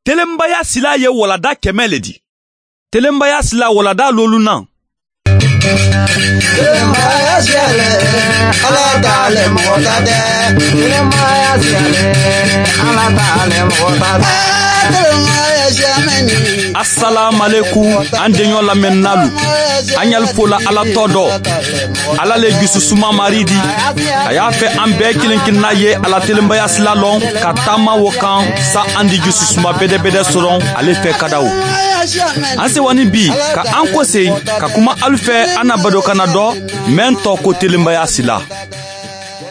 Telenbaya sila ye walada 100 le di. Telenbaya sila walada lolunan. Telenbaya siyalɛ, Ala t'ale mɔgɔ ta tɛ. Telenbaya siyalɛ, Ala t'ale mɔgɔ ta tɛ. Telenbaya siyamɛni. Assalamu an deɲɔ lamɛnnalu. An y'al fola Ala tɔ dɔ. Ala le jususuma mari di. A y'a fɛ an bɛɛ kelen kelenna ye Ala telenbaya sila lɔn ka taama wo kan sa an di jususuma bɛdɛbɛdɛ sɔrɔ ale fɛ kadaw. An sewani bi ka an kɔsen ka kuma alu fɛ an na badokana dɔ mɛn tɔ ko telenbaya sila.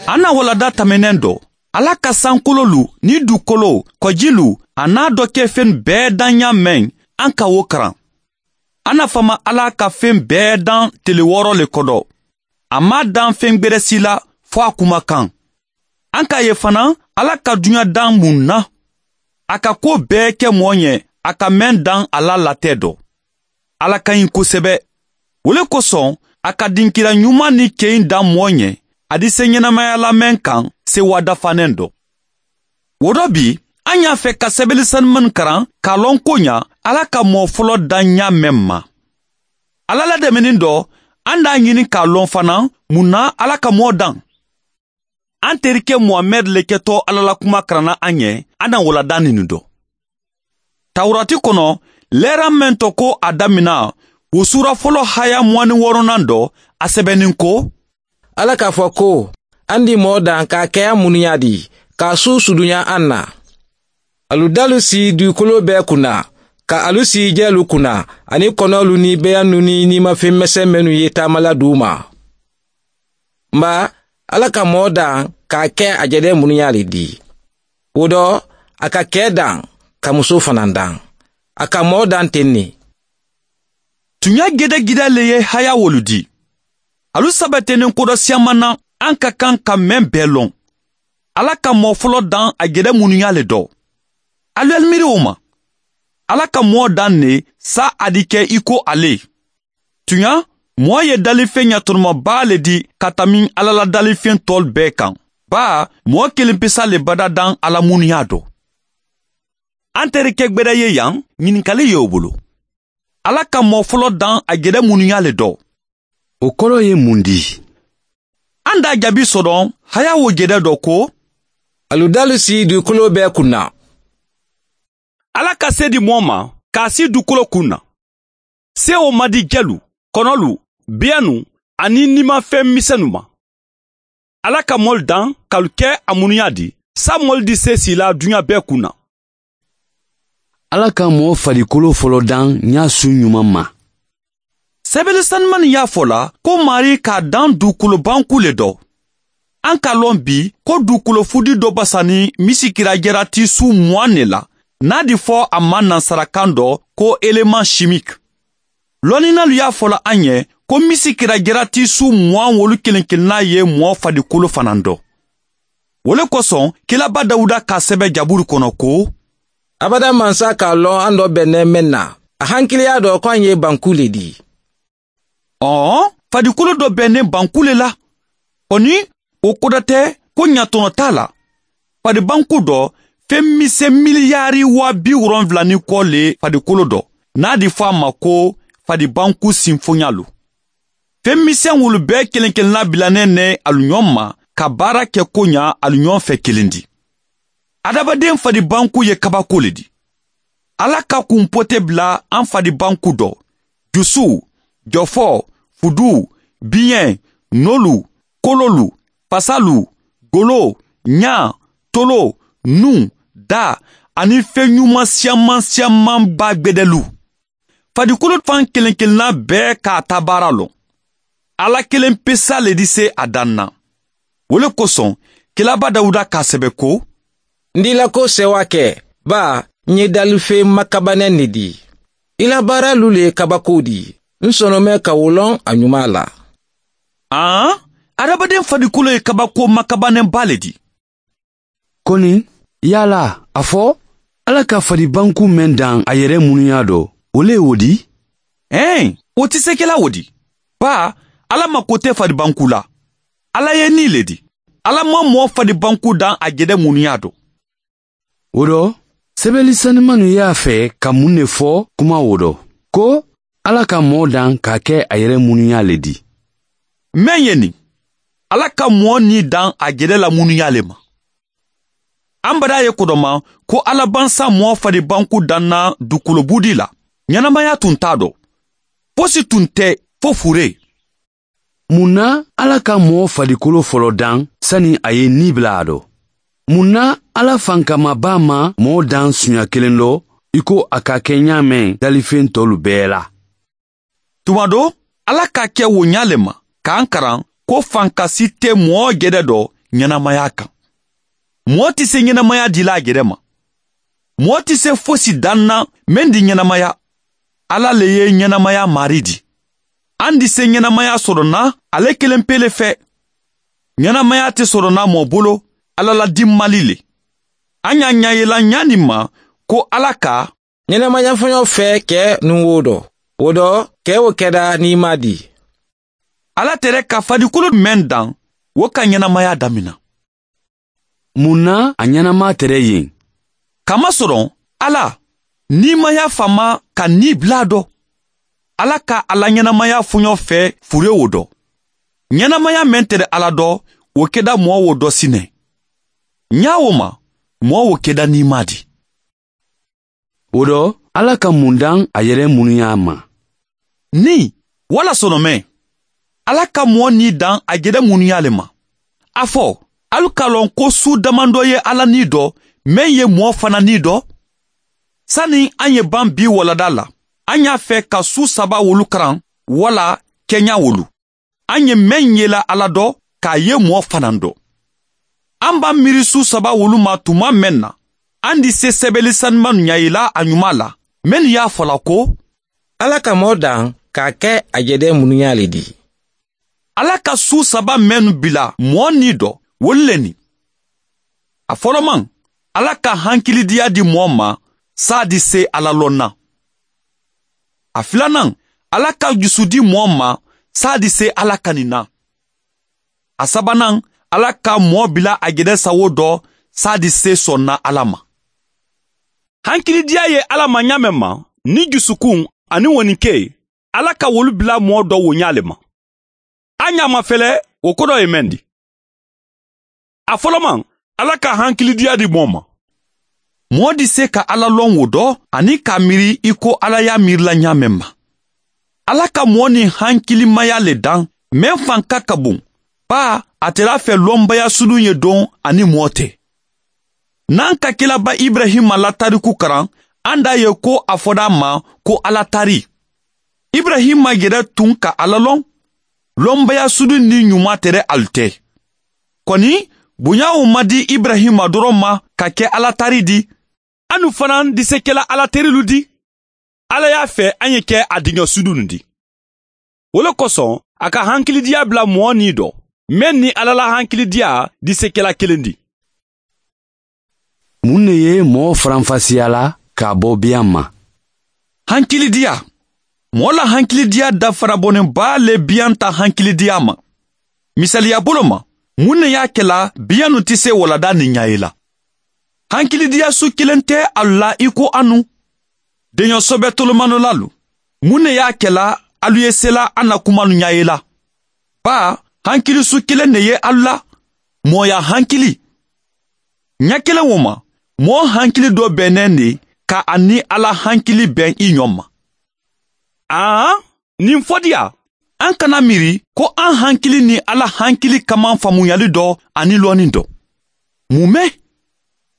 An na walada tɛmɛnɛn dɔ. Ala ka sankololu ni dukolo, kɔjilu, a n'a dɔ kɛ fɛn bɛɛ dan ɲa mɛn, an ka wo karan. An na fama Ala ka fɛn bɛɛ dan tele 6 le kɔdɔ. A ma dan fɛn gbɛrɛ si la fɔ a kumakan. An k'a ye fana Ala ka duɲa dan mun na. A ka ko bɛɛ kɛ mɔɔ ɲɛ, a ka mɛn dan a la latɛ dɔ. Ala ka ɲi kosɛbɛ. O le kosɔn, a ka dinkira ɲuman ni kɛɲi dan mɔɔ ɲɛ, a di se ɲɛnamaya la mɛn kan sewa dafanen dɔ. O dɔ bi, an y'a fɛ ka sɛbɛnni sanuman karan k'a lɔn ko ɲa Ala ka mɔɔ fɔlɔ dan ɲa mɛn ma. Ala la dɛmɛni dɔ, an d'a ɲini k'a lɔn fana mun na Ala ka mɔɔ dan. An terikɛ Muhamɛd le kɛtɔ Ala la kuma karanna an ɲɛ, an na walada nin dɔ. Tawurati kɔnɔ, lɛra mɛn tɔ ko a damina, o sura fɔlɔ haya 26nan dɔ, a sɛbɛnnin ko, Ala k'a fɔ ko, an di mɔɔ dan k'a kɛ an munuya di, k'a su sudunya an na. Alu dalu si dugukolo bɛɛ kunna, ka alu si jɛlu kunna, ani kɔnɔlu ni bɛyannu ni nimafɛn misɛn minnu ye taamala d'u ma. Nba, Ala ka mɔɔ dan k'a kɛ a jɛdɛ munuya le di. O dɔ, a ka kɛ dan, ka muso fana dan. A ka mɔɔ dan ten ne. Tunya gɛdɛgɛdɛ le ye haya wolu di. Alu sabatenen kodɔ siyaman na, an ka kan ka mɛn bɛɛ lɔn. Ala ka mɔɔ fɔlɔ dan a gɛdɛ munuya le dɔ. Alu y'al miiri o ma. Ala ka mɔɔ dan ne sa a di kɛ i ko ale. Tunya, mɔɔ ye dalifɛn ɲatɔnɔmaba le di ka tami Ala la dalifɛn tɔl bɛɛ kan. Ba, mɔɔ kelen pesa le bada dan Ala munuya dɔ. An terikɛ gbɛdɛ ye yan, ɲininkali ye o bolo. Ala ka mɔɔ fɔlɔ dan a gɛdɛ munuya le dɔ. O kɔrɔ ye mun di? An d'a jaabi sɔrɔ haya wo gɛdɛ dɔ ko, Alu dalu si dugukolo bɛɛ kunna. Ala ka se di mɔɔ ma k'a si dugukolo kun na. Se o ma di jɛlu, kɔnɔlu, biyɛnnu ani nimafɛn misɛnnu ma. Ala ka mɔli dan k'alu kɛ a munuya di, sa mɔli di se si la duɲa bɛɛ kun na. Ala ka mɔɔ farikolo fɔlɔ dan ɲa su ɲuman ma. Sɛbɛnni sanuman y'a fɔ la ko Mari k'a dan dugukolo banku le dɔ. An k'a lɔn bi ko dugukolo fudi dɔ basani misikira jɛrati su 20 ne la, n'a di fɔ a ma nansarakan dɔ ko élément chimique. Lɔnninalu y'a fɔ la an ɲɛ ko misikira jɛrati su 20 wolu kelen kelenna ye mɔɔ farikolo fana dɔ. O le kosɔn Kilaba Dawuda k'a sɛbɛn Jaburu kɔnɔ ko, Abada mansa k'a lɔn an dɔ bɛnnɛ mɛn na, a hankiliya dɔ ko an ye banku le di. Ɔn, farikolo dɔ bɛnnen banku le la. Kɔni, o koda tɛ ko ɲatɔnɔ t'a la. Faribanku dɔ, fɛn misɛn miliyari 70 ni kɔ le farikolo dɔ, n'a di fɔ a ma ko faribanku sinfonya lo. Fɛn misɛn wolu bɛɛ kelen kelenna bilanen ne alu ɲɔgɔn ma ka baara kɛ ko ɲa alu ɲɔgɔn fɛ kelen di. Adamaden faribanku ye kabako le di. Ala ka kunpote bila an faribanku dɔ, dusu, jɔfɔ, fudu, biɲɛ, nolu, kololu, fasalu, golo, ɲa, tolo, nun, da, ani fɛn ɲuman siyaman siyamanba gbɛdɛlu. Farikolo fan kelen kelenna bɛɛ k'a ta baara lɔn. Ala kelen pesa le di se a dan na. O le kosɔn, Kilaba Dawuda k'a sɛbɛ ko, N di la ko sɛwa kɛ, ba, n ye dalife makabanɛ ne di. I la baara lu le ye kabako di. N sɔnɔmɛ ka wolɔn a ɲuman la. An, adamaden farikolo ye kabako makabanɛba le di. Kɔni, yala, a fɔ, Ala ka faribanku mɛn dan a yɛrɛ munuya dɔ, o le y'o di? Ɛn, o tɛ se kɛla o di. Ba, Ala mako tɛ faribanku la. Ala ye ni le di. Ala ma mɔɔ faribanku dan a jɛdɛ munuya dɔ. O dɔ, Sɛbɛli sanimanu y'a fɛ ka mun de fɔ kuma o dɔ? Ko Ala ka mɔɔ dan k'a kɛ a yɛrɛ munuya le di. Mɛn ye nin, Ala ka mɔɔ ni dan a jɛrɛ la munuya le ma. An bara ye kodɔma ko Ala bansa mɔɔ faribanku danna dukolobudi la. Ɲɛnamaya tun t'a dɔ. Fosi tun tɛ fo fure. Mun na Ala ka mɔɔ farikolo fɔlɔ dan sani a ye ni bila a dɔ? Mun na Ala fankamaba ma mɔɔ dan suɲa kelen dɔ i ko a ka kɛ ɲa mɛn dalifɛn tɔlu bɛɛ la? Tuma dɔ, Ala ka kɛ o ɲa le ma k'an karan ko fankasi tɛ mɔɔ gɛrɛ dɔ ɲɛnamaya kan. Mɔɔ tɛ se ɲɛnamaya dila a gɛrɛ ma. Mɔɔ tɛ se fosi dan na mɛn di ɲɛnamaya. Ala le ye ɲɛnamaya mari di. An di se ɲɛnamaya sɔrɔ na ale kelen pele fɛ. Ɲɛnamaya tɛ sɔrɔ na mɔɔ bolo, Ala la di mali le. An y'a ɲayela ɲa nin ma ko Ala ka ɲɛnamaya fɔɲɔ fɛ kɛ nun wo dɔ. O dɔ, kɛ o kɛra n'i ma di. Ala tɛrɛ ka farikolo mɛn dan, o ka ɲɛnamaya damina. Mun na a ɲɛnama tɛrɛ yen? Kamasɔrɔ Ala nimaya fama ka ni bila dɔ. Ala ka ala ɲɛnamaya fɔɲɔ fɛ fure o dɔ. Ɲɛnamaya mɛn tɛrɛ Ala dɔ, o kɛda mɔɔ o dɔ sinɛ. Ɲa o ma, mɔɔ o kɛda nima di. O dɔ, Ala ka mun dan a yɛrɛ munuya ma? Ni, wala sɔnɔmɛ. Ala ka mɔɔ ni dan a jɛrɛ munuya le ma. A fɔ, alu k'a lɔn ko su damandɔ ye Ala ni dɔ, mɛn ye mɔɔ fana ni dɔ. Sani an ye ban bi walada la, an y'a fɛ ka su saba wolu karan, wala kɛɲa wolu. An ye mɛn yela Ala dɔ, k'a ye mɔɔ fana dɔ. An b'an miiri su saba wolu ma tuma mɛn na, an di se sɛbɛli sanuman ɲayela a ɲuman la, mɛnnu y'a fɔla ko Ala ka mɔɔ dan k'a kɛ a jɛdɛ munuya le di. Ala ka su saba mɛnnu bila mɔɔ ni dɔ, wolu le nin. A fɔlɔman, Ala ka hankilidiya di mɔɔ ma, saa di se Ala lɔn na. A filanan, Ala ka jusu di mɔɔ ma, saa di se Ala kanin na. A sabanan, Ala ka mɔɔ bila a jɛrɛ sawo dɔ, saa di se sɔn na Ala ma. Hankilidiya ye Ala ma ɲa mɛn ma, ni jusukun ani wɔninke, Ala ka wolu bila mɔɔ dɔ wo ɲa le ma. An ɲa ma fɛlɛ, o kɔrɔ ye mɛn di. A fɔlɔman, Ala ka hankilidiya di mɔɔ ma. Mɔɔ di se ka Ala lɔn wo dɔ ani k'a miiri i ko Ala y'a miirila ɲa mɛn ma. Ala ka mɔɔ ni hankilimaya le dan, mɛn fanka ka bon, ba a tɛr'a fɛ lɔnbaya sulu ye don ani mɔɔ tɛ. N'an ka kelaba Ibrahima la tariku karan, an d'a ye ko a fɔra a ma ko Ala tari. Ibrahima yɛrɛ tun ka Ala lɔn, lɔnbaya sulu ni ɲuman tɛrɛ alu tɛ. Kɔni, bonya o ma di Ibrahima dɔrɔn ma ka kɛ Ala tari di, anu fana di se kɛla Ala terilu di. Ala y'a fɛ an ye kɛ a denkɛ sudu nin di. O le kosɔn, a ka hankilidiya bila mɔɔ ni dɔ, mɛn ni Ala la hankilidiya di se kɛla kelen di. Mun de ye mɔɔ faranfasiya la k'a bɔ biyan ma? Hankilidiya. Mɔɔ la hankilidiya dafarabɔnenba le biyan ta hankilidiya ma. Misaliya bolo ma, mun de y'a kɛla biyan nu tɛ se walada ni ɲa ye la? Hankilidiya su kelen tɛ alu la i ko anu. Denyɔsɔbɛ tolomanolalu. Mun de y'a kɛla alu ye sela an na kuma nu ɲa ye la? Ba, hankili su kelen de ye alu la. Mɔɔya hankili. Ɲa kelen o ma, mɔɔ hankili dɔ bɛnnen de ka a ni Ala hankili bɛn i ɲɔ ma. Aa, nin fɔdiya, an kana miiri ko an hankili ni Ala hankili kaman faamuyali dɔ ani lɔnni dɔ. Mun mɛ?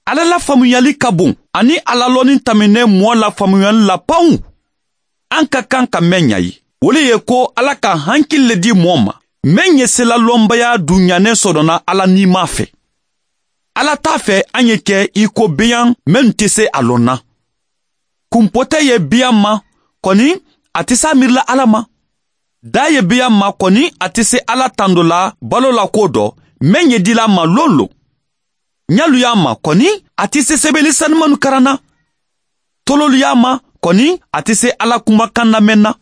Ala la faamuyali ka bon ani Ala lɔnni tɛmɛnen mɔɔ la faamuyali la panw. An ka kan ka mɛn ɲa ye. O le ye ko Ala ka hankili le di mɔɔ ma, mɛn ye sela lɔnbaya dunyanen sɔrɔna Ala nima fɛ. Ala t'a fɛ an ye kɛ i ko biyan mɛn tɛ se a lɔn na. Kunpɔtɛ ye biyan ma, kɔni a tɛ s'a miirila Ala ma. Da ye biyan ma, kɔni a tɛ se Ala tando la balo la ko dɔ, mɛn ye dila ma lon lon. Ɲalu y'a ma, kɔni a tɛ se sɛbɛnni sanumanu karan na. Tololu y'a ma, kɔni a tɛ se Ala kumakan lamɛn na.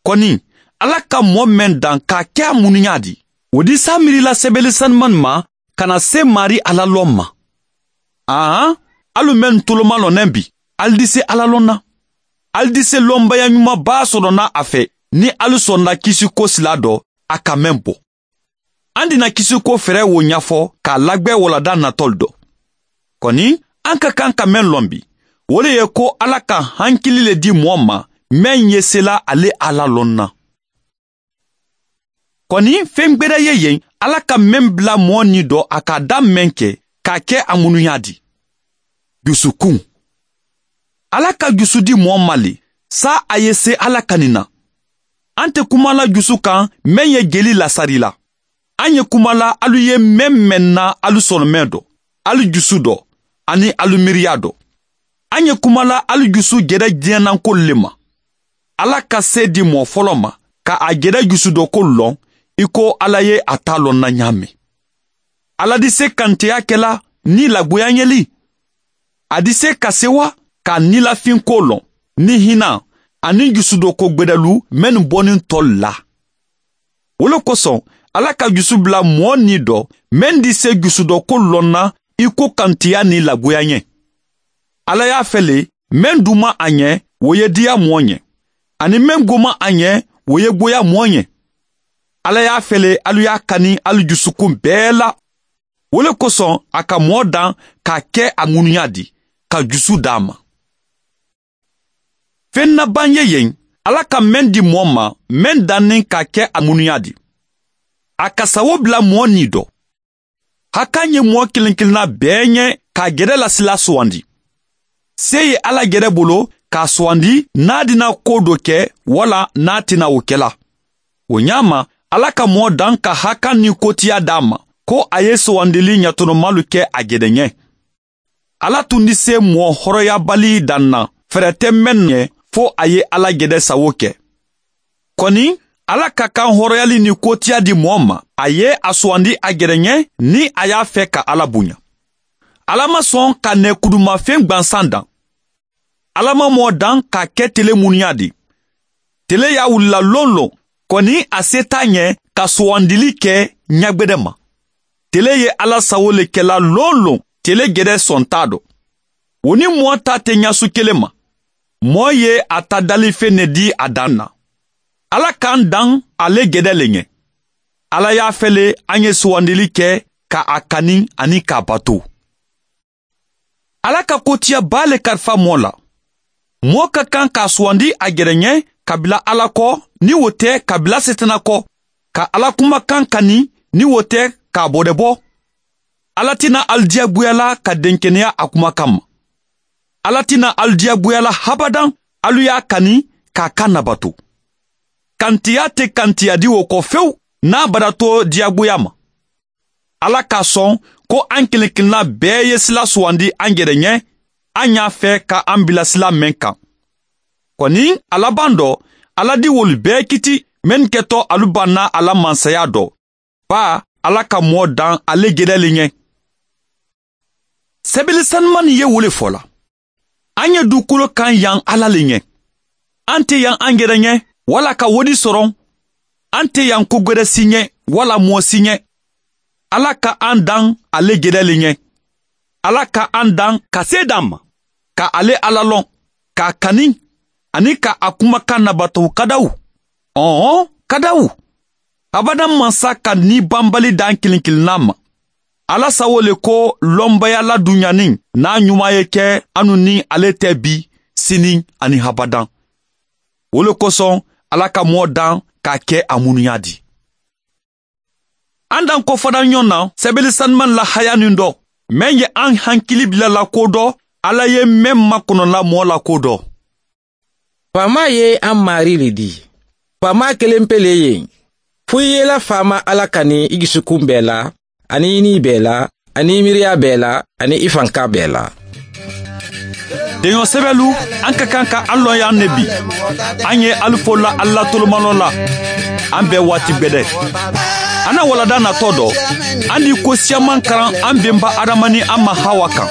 Kɔni Ala ka mɔɔ mɛn dan k'a kɛ a munuya di. O di s'a miirila sɛbɛnni sanuman ma ka na se mari Ala lɔn ma. Aan, Alu mɛn toloma lɔnɛ bi, ali di se Ala lɔn na. Ali di se lɔnbaya ɲumanba sɔrɔ na a fɛ, ni alu sɔnna kisiko sila dɔ, a ka mɛn bɔ. An dina kisiko fɛɛrɛ wo ɲɛfɔ k'a lagbɛ walada natɔli dɔ. Kɔni, an ka kan ka mɛn lɔn bi, o le ye ko Ala ka hankili le di mɔɔ ma, mɛn ye sela ale Ala lɔn na. Kɔni, fɛn gbɛrɛ ye yen, Ala ka mɛn bila mɔɔ ni dɔ a ka da mɛn kɛ, k'a kɛ a munuya di. Dusukun. Ala ka jusu di mɔɔ ma le, sa a ye se Ala kani na. An tɛ kuma la jusu kan mɛn ye jeli lasari la. An ye kuma la alu ye mɛn mɛn na alu sɔnɔ mɛn dɔ, alu jusu dɔ, ani alu miiriya dɔ. An ye kuma la alu jusu jɛrɛ diɲɛnako le ma. Ala ka se di mɔɔ fɔlɔ ma, ka a jɛrɛ jusu dɔ ko lɔn, i ko Ala ye a ta lɔn na ɲa mɛn. Ala di se kanteya kɛla ni lagoya ɲɛli. A di se ka sewa ka nilafin ko lɔn, ni hinɛ ani jusudɔ ko gbɛdɛlu mɛnnu bɔnin tɔ la. O le kosɔn, Ala ka jusu bila mɔɔ ni dɔ, mɛn di se jusudɔ ko lɔn na i ko kantiya ni lagoya ɲɛ. Ala y'a fɛ le, mɛn duma a ɲɛ, o ye diya mɔɔ ɲɛ. Ani mɛn goma a ɲɛ, o ye goya mɔɔ ɲɛ. Ala y'a fɛ le, alu y'a kani alu jusukun bɛɛ la. O le kosɔn, a ka mɔɔ dan k'a kɛ a ŋunuya di, ka jusu d'a ma. Fɛn naban ye yen, Ala ka mɛn di mɔɔ ma, mɛn dannen k'a kɛ a ŋunuya di. A ka sago bila mɔɔ ni dɔ. Hakan ye mɔɔ kelen kelenna bɛɛ ɲɛ k'a gɛrɛ lasila sugandi. Se ye Ala gɛrɛ bolo k'a sugandi n'a dina ko dɔ kɛ wala n'a tɛna o kɛla. O ɲa ma, Ala ka mɔɔ dan ka hakan ni kotiya d'a ma, ko a ye sugandili ɲatɔnɔmalu kɛ a gɛrɛ ɲɛ. Ala tun di se mɔɔ hɔrɔnyabali dan na, fɛɛrɛ tɛ mɛn ɲɛ fo a ye Ala gɛrɛ sago kɛ. Kɔni, Ala ka kan hɔrɔnyali ni kotiya di mɔɔ ma, a ye a sugandi a gɛrɛ ɲɛ ni a y'a fɛ ka Ala bonya. Ala ma sɔn ka nɛkudumafɛn gwansan dan. Ala ma mɔɔ dan k'a kɛ tele munuya di. Tele y'a wulila lon lon, kɔni a se t'a ɲɛ ka sugandili kɛ ɲagbɛdɛ ma. Tele ye Ala sago le kɛla lon lon, tele gɛrɛ sɔn t'a dɔ. O ni mɔɔ ta tɛ ɲasu kelen ma. Mɔɔ ye a ta dalifɛn ne di a dan na. Ala k'an dan ale gɛdɛ le ɲɛ. Ala y'a fɛ le an ye sugandili kɛ ka a kani ani k'a bato. Ala ka kotiya b'a le kalifa mɔɔ la. Mɔɔ ka kan k'a sugandi a gɛrɛ ɲɛ ka bila Ala kɔ, ni o tɛ ka bila setana kɔ, ka Ala kumakan kani, ni o tɛ k'a bɔdɛbɔ. Ala tɛna alu diyagoya la ka denkɛnɛya a kumakan ma. Ala tɛna alu diyagoya la habadan, alu y'a kani k'a kan nabato. Kantiya tɛ kantiya di o kɔ fewu n'a bada to diyagoya ma. Ala k'a sɔn ko an kelen kelenna bɛɛ ye sila sugandi an yɛrɛ ɲɛ, an y'a fɛ ka an bila sila mɛn kan. Kɔni, a laban dɔ, Ala di wolu bɛɛ kiti mɛn kɛtɔ alu banna ala mansaya dɔ. Ba, Ala ka mɔɔ dan ale gɛrɛlen ɲɛ. Sɛbɛli sanuman ye wo le fɔ la. An ye dukolo kan yan Ala le ɲɛ. An tɛ yan an yɛrɛ ɲɛ, wala ka wodi sɔrɔ. An tɛ yan ko gwɛrɛ si ɲɛ, wala mɔɔ si ɲɛ. Ala ka an dan ale gɛrɛlen ɲɛ. Ala ka an dan ka se d'an ma, ka ale Ala lɔn, k'a kani, ani ka a kumakan nabato kadaw. Ɔhɔn, kadaw. Abadan mansa ka ni banbali dan kelen kelenna ma. Ala sago le ko lɔnbaya ladunyanin n'a ɲuman ye kɛ anu ni ale tɛ bi, sini ani habadan. O le kosɔn Ala ka mɔɔ dan k'a kɛ a munuya di. An dan kɔfɔda ɲɔgɔn na sɛbɛli sanuman la haya nin dɔ, mɛn ye an hankili bila la ko dɔ, Ala ye mɛn makɔnɔla mɔɔ la ko dɔ. Faama ye an mari le di. Faama kelen pe le ye. Fo i yela faama Ala kani i dusukun bɛɛ la, ani i ni bɛɛ la, ani i miiriya bɛɛ la, ani i fanka bɛɛ la. Deɲɔ sɛbɛlu, an ka kan ka an lɔn yan ne bi. An ye alu fo la Ala tolomanɔ la. An bɛɛ waati gbɛdɛ. An na walada natɔ dɔ, an di ko siyaman karan an benba Adama ni an ma Hawa kan.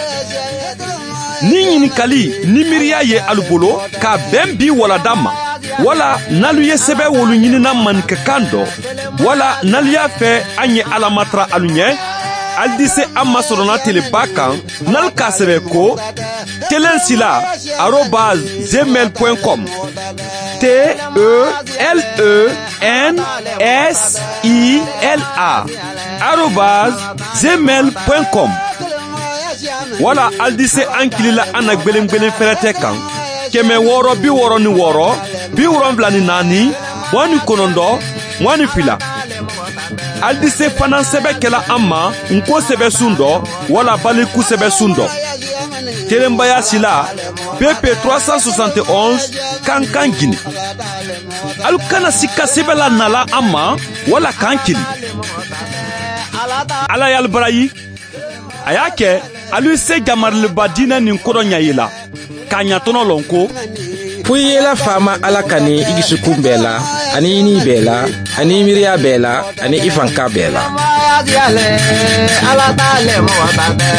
Ni ɲininkali ni miiriya ye alu bolo k'a bɛn bi walada ma, wala n'alu ye sɛbɛ wolu ɲinina maninkakan dɔ, wala n'alu y'a fɛ an ye Ala matara alu ɲɛ, Ali di se an masɔrɔna teleba kan n'alu k'a sɛbɛ ko telensila@gmail.com, telensila@gmail.com, wala ali di se an kilila an na gwelen fɛrɛtɛ kan 666 74 22. Ali di se fana sɛbɛ kɛla an ma nko sɛbɛsun dɔ wala baliku sɛbɛsun dɔ: Telenbaya Sila, PP 371, Kankan, Gine. Alu kana sika sɛbɛ la nala an ma wala k'an kili. Ala y'alu barayi. A y'a kɛ alu se jamariliba diinɛ nin kɔrɔ ɲa ye la k'a ɲatɔnɔ lɔn ko fo i ye la faama Ala kani i dusukun bɛɛ la, ani i ni bɛɛ la, ani i miiriya bɛɛ la, ani i fanka bɛɛ la. Ala t'ale mɔgɔ ta tɛ.